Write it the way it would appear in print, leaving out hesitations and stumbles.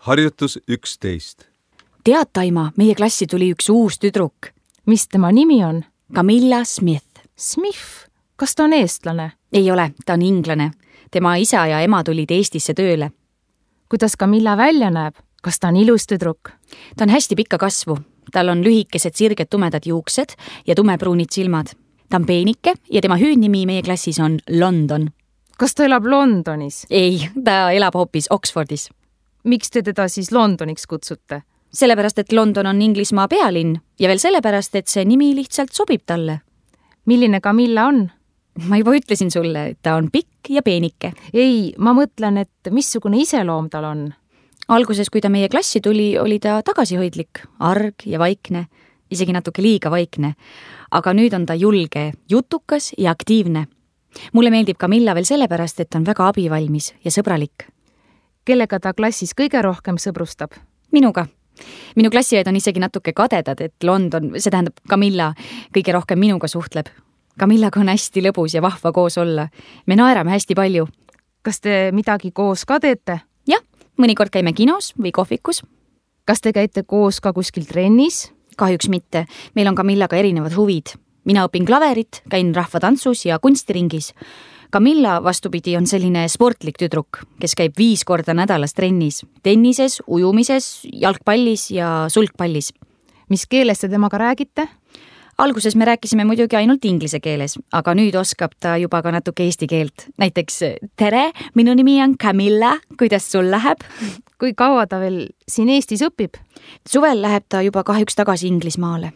Harjutus 11. Tead, Taima, meie klassi tuli üks uus tüdruk. Mis tema nimi on? Camilla Smith. Smith? Kas ta on eestlane? Ei ole, ta on inglane. Tema isa ja ema tulid Eestisse tööle. Kuidas Camilla välja näeb? Kas ta on ilus tüdruk? Ta on hästi pikka kasvu. Tal on lühikesed sirged tumedad juuksed ja tumepruunid silmad. Ta on peenike ja tema hüüdnimi meie klassis on London. Kas ta elab Londonis? Ei, ta elab hoopis Oxfordis. Miks te teda siis Londoniks kutsute? Sellepärast, et London on Inglismaa pealinn ja veel sellepärast, et see nimi lihtsalt sobib talle. Milline Camilla on? Ma juba ütlesin sulle, et ta on pikk ja peenike. Ei, ma mõtlen, et missugune iseloom tal on. Alguses, kui ta meie klassi tuli, oli ta tagasihoidlik, arg ja vaikne, isegi natuke liiga vaikne. Aga nüüd on ta julge, jutukas ja aktiivne. Mulle meeldib Camilla veel sellepärast, et on väga abivalmis ja sõbralik. Kellega ta klassis kõige rohkem sõbrustab? Minuga. Minu klassiõed on isegi natuke kadedad, et London, see tähendab Camilla, kõige rohkem minuga suhtleb. Camillaga on hästi lõbus ja vahva koos olla. Me naerame hästi palju. Kas te midagi koos ka teete? Jah, mõnikord käime kinos või kohvikus. Kas te käite koos ka kuskil trennis? Kahjuks mitte. Meil on Camillaga erinevad huvid. Mina õpin klaverit, käin rahvatantsus ja kunstiringis. Camilla vastupidi on selline sportlik tüdruk, kes käib 5 korda nädalas trennis. Tennises, ujumises, jalgpallis ja sulgpallis. Mis keeles te temaga räägite? Alguses me rääkisime muidugi ainult inglise keeles, aga nüüd oskab ta juba ka natuke eesti keelt. Näiteks, tere, minu nimi on Camilla, kuidas sul läheb? Kui kaua ta veel siin Eestis õpib? Suvel läheb ta juba kahjuks tagasi Inglismaale.